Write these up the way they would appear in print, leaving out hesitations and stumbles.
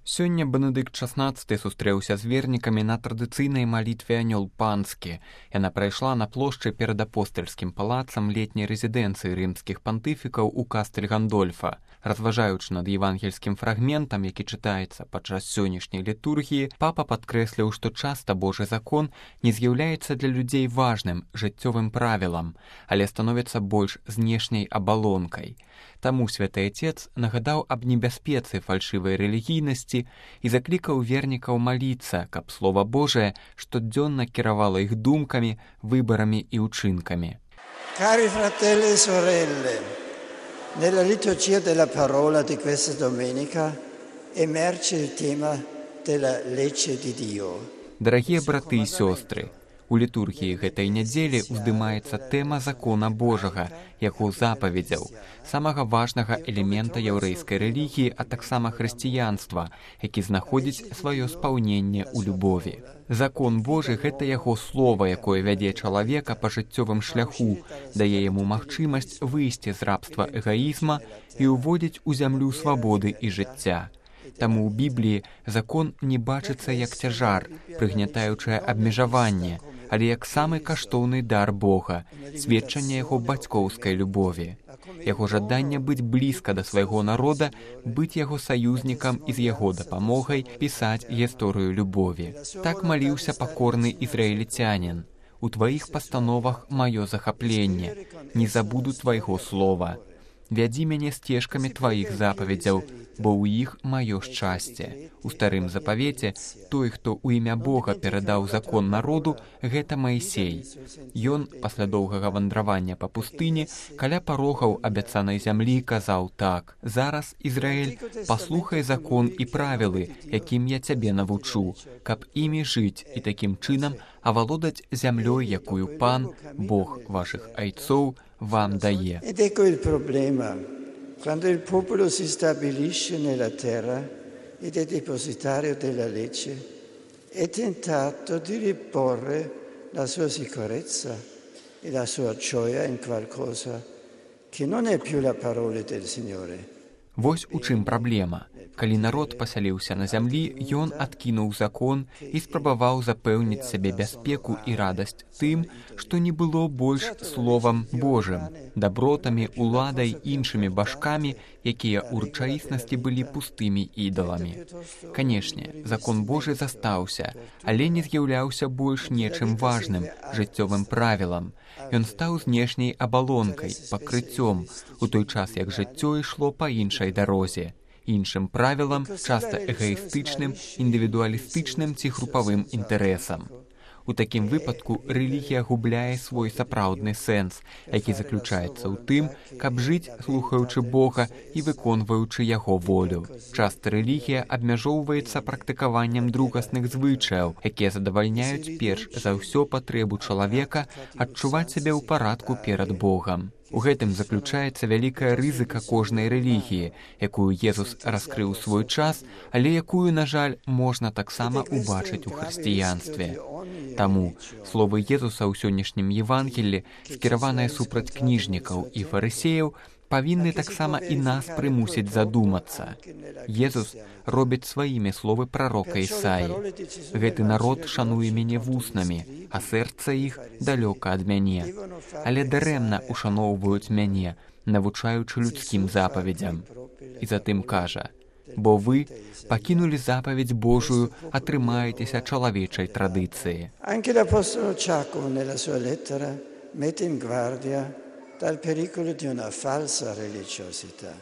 Сёння Бенедыкт XVI сустрэўся з вернікамі на традыцыйнай малітве «Анёл панскі». Яна прайшла на плошчы перад апостальскім палацам летняй рэзідэнцыі рымскіх пантыфікаў у Кастэль Гандольфа. Разважаючы над евангельскім фрагментам, які чытаецца падчас сённяшняй літургіі, папа падкрэсліў, што часта Божы закон не з'яўляецца для людзей важным жыццёвым правілам, але становіцца больш знешняй абалонкай. Таму святы Отец нагадаў аб небяспецы фальшывай рэлігійнасці і заклікаў вернікаў маліцца, каб Слова Божае штодзённа кіравала іх думкамі, выбарамі і ўчынкамі. Cari fratelli e sorelle, nella liturgia della parola di questa domenica emerge il tema della legge di Dio. Дарагія браты і сёстры, у літургіі гэтай нядзелі ўздымаецца тэма закона Божага, яго запаведзяў, самага важнага элемента яўрэйскай рэлігіі, а таксама хрысціянства, які знаходзіць сваё спаўненне ў любові. Закон Божы – гэта яго слова, якое вядзе чалавека па жыццёвым шляху, дае яму магчымасць выйсці з рабства эгаізма і ўводзіць у зямлю свабоды і жыцця. Таму ў Бібліі закон не бачыцца як цяжар, прыгнятаючае абмежаванне, але як самы каштоўны дар Бога, сведчанне яго бацькоўскай любові. Яго жаданне быць блізка да свайго народа, быць яго саюзнікам і з яго дапамогай пісаць гісторыю любові. Так маліўся пакорны ізраільцянін. У тваіх пастановах маё захапленне, не забуду твайго слова. Вядзі мяне сцежкамі тваіх запаведзяў, бо ў іх маё шчасце. У старым запавеце той, хто ў імя Бога перадаў закон народу, гэта Маісей. Ён, пасля доўгага вандравання па пустыні, каля парогаў абяцанай зямлі казаў так: «Зараз, Ізраэль, паслухай закон і правілы, якім я цябе навучу, каб імі жыць і такім чынам авалодаць зямлёй, якую Пан, Бог вашых айцоў, вам дае». Ed ecco il problema. Quando il popolo si stabilisce nella terra ed è depositario della legge, è tentato di riporre la sua sicurezza e la sua gioia in qualcosa che non è più la parola del Signore. Вось у чым праблема. Калі народ пасяліўся на зямлі, ён адкінуў закон і спрабаваў запэўніць сабе бяспеку і радасць тым, што не было больш словам Божым, дабротамі, уладай, іншымі бажкамі, якія ў рэчаіснасці былі пустымі ідаламі. Канешне, закон Божы застаўся, але не з'яўляўся больш нечым важным, жыццёвым правілам. Ён стаў знешняй абалонкай, пакрыццём, у той час як жыццё ішло па іншай дарозе, іншым правілам, часта эгоістычным, індывідуалістычным ці групавым інтарэсам. У такім выпадку рэлігія губляе свой сапраўдны сэнс, які заключаецца ў тым, каб жыць, слухаючы Бога і выконваючы яго волю. Часта рэлігія абмяжоўваецца практыкаваннем другасных звычаяў, якія задавальняюць перш за ўсё патрэбу чалавека адчуваць сябе ў парадку перад Богам. У гэтым заключаецца вялікая рызыка кожнай рэлігіі, якую Езус раскрыў свой час, але якую, на жаль, можна таксама ўбачыць у хрысціянстве. Таму словы Езуса ў сённяшнім Евангеллі, скіраваныя супраць кніжнікаў і фарысеяў, павінны таксама і нас прымусіць задумацца. Езус робіць сваімі словы прарока Ісаі. Гэты народ шануе мяне вуснамі, а сэрца іх далёка ад мяне. Але дарэмна ушаноўваюць мяне, навучаючы людскім запаведзям. І затым кажа: «Бо вы пакінулі запаведь Божую, атрымаецеся чалавечай традыцыі». Anche l'apostolo Giacomo nella sua lettera mette in guardia dal pericolo di una falsa religiosità.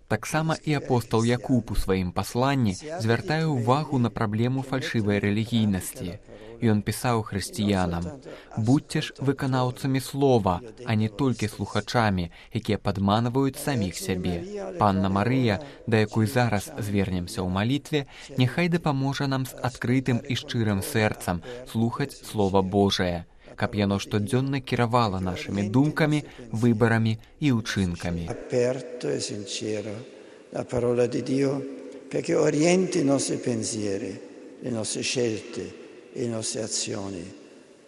Таксама і апостол Якуб у сваім пасланні звяртае ўвагу на праблему фальшывай рэлігійнасці. Ён пісаў хрысціянам: «Будьце ж выканаўцамі слова, а не толькі слухачамі, якія падманваюць саміх сябе. Панна Марыя, да якой зараз звернемся ў малітве, няхай дапаможа нам з адкрытым і шчырым сэрцам слухаць Слова Божае, каб яно штодзённа кіравала нашымі думкамі, выбарамі і ўчынкамі». Aperto e sincero la parola di Dio perché orienti i nostri pensieri, le nostre scelte e le nostre azioni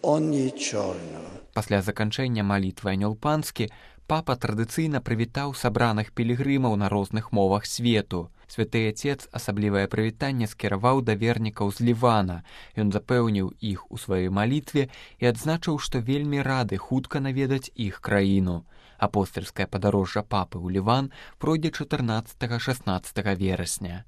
ogni giorno. Пасля заканчэння малітвы «Анёл панскі» папа традыцыйна прывітаў сабраных пілігрымаў на розных мовах свету. Святы Отец асаблівае прывітанне скіраваў да вернікаў з Лівана. Ён запэўніў іх у сваёй малітве і адзначыў, што вельмі рады хутка наведаць іх краіну. Апостальскае падарожжа папы ў Ліван пройдзе 14-16 верасня.